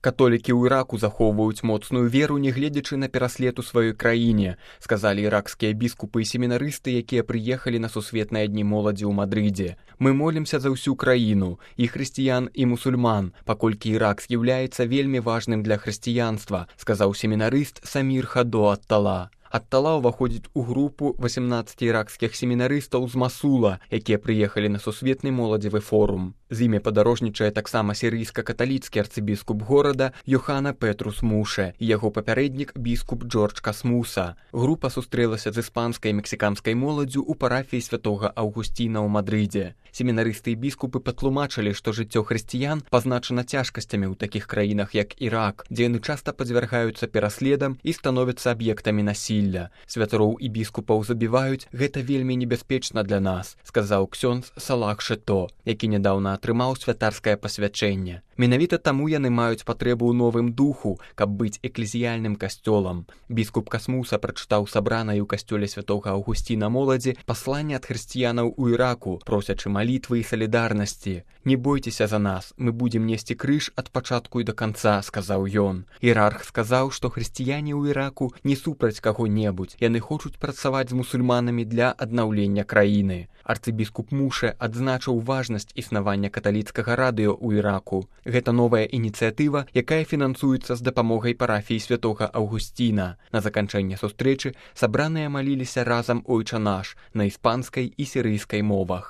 Католікі ў Іраку захоўваюць моцную веру, нягледзячы на пераслед у сваёй краіне, сказалі іракскія біскупы і семінарысты, якія прыехалі на сусветныя дні моладзі ў Мадрыдзе. Мы молімся за ўсю краіну, і хрысціян, і мусульман, паколькі Ірак з'яўляецца вельмі важным для хрысціянства, сказаў семінарыст Самір Хадо ат-Тала. Ат-Тала ўваходзіць у групу 18 іракскіх семінарыстаў з Масула, якія прыехалі на сусветны моладзевы форум. З імі падарожнічае таксама сірыйска-каталіцкі арцыбіскуп горада Йохана Петрус Муше і яго папярэднік біскуп Джордж Касмуса. Група сустрэлася з іспанскай і мексіканскай моладдзю ў парафіі святога Аўгусціна ў Мадрыдзе. Семінарысты і біскупы патлумачылі, што жыццё хрысціян пазначана цяжкасцямі ў такіх краінах, як Ірак, дзе яны часта падвяргаюцца пераследам і становяцца аб'ектамі насілля. Святароў і біскупаў забіваюць, гэта вельмі небяспечна для нас, сказаў ксёндз Салах Шето, які нядаўна атрымаў святарскае пасвячэнне. Менавіта таму яны маюць патрэбу ў новым духу, каб быць эклезіяльным касцёлам. Біскуп Касмуса прачытаў сабранай у касцёле святога Аўгусціна моладзі пасланне ад хрысціянаў у Іраку, просячы малітвы і салідарнасці. «Не бойцеся за нас, мы будзем несці крыж ад пачатку і да канца», сказаў ён. Іерарх сказаў, што хрысціяне ў Іраку не супраць каго-небудзь, яны хочуць працаваць з мусульманамі для аднаўлення краіны. Арцыбіскуп Муше адзначыў важнасць існавання каталіцкага радыё ў Іраку. Гэта новая ініцыятыва, якая фінансуецца з дапамогай парафіі святога Аўгусціна. На заканчэнне сустрэчы сабраныя маліліся разам «Ойча наш» на іспанскай і сірыйскай мовах.